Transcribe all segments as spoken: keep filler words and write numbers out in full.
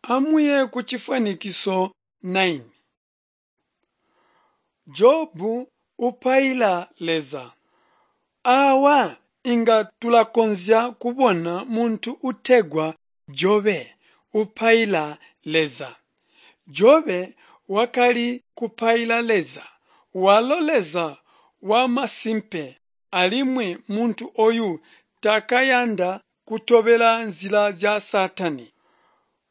Amuye kucifwanikiso nine. Jobu upaila Leza. Aawa inga tulakonzya kubona muntu utegwa Jobe upaila Leza. Jobe wakali kupaila Leza, walo Leza wamasimpe alimwi muntu oyu taakayanda kutobela nzila zya Saatani.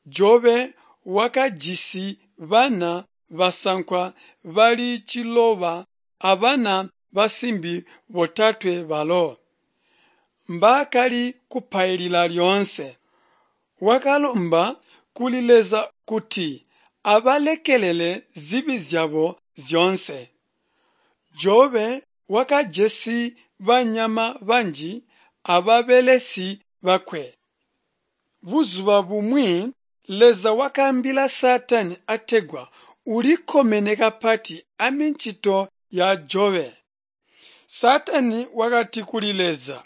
Jobe wakajisi bana basankwa bali ciloba abana basimbi botatwe balo mbaakali kupailila lyoonse. Wakalomba kuli Leza kuti abalekelele zibi zyabo zyoonse. Jobe wakajisi banyama banji ababelesi bakwe. Buzuba bumwi Leza wakaambila Saatani ategwa ulikkomene kapati amicito ya Jobe. Saatani wakati kuli Leza,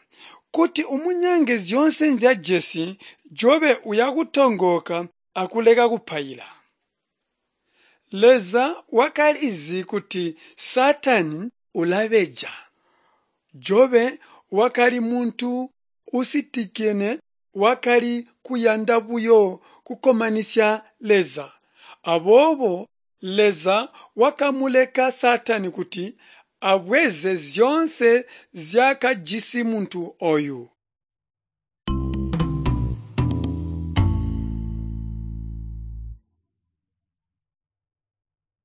kuti umunyange zyoonse nzyajesi, Jobe uyakutongooka akuleka kupaila. Leza wakalizi kuti Saatani ulabeja. Jobe wakali muntu uusitikene wakali kuyanda buyo kukkomanisya Leza. Aboobo Leza wakamuleka Saatani kuti abweze zyoonse nzyaakajisi muntu oyu.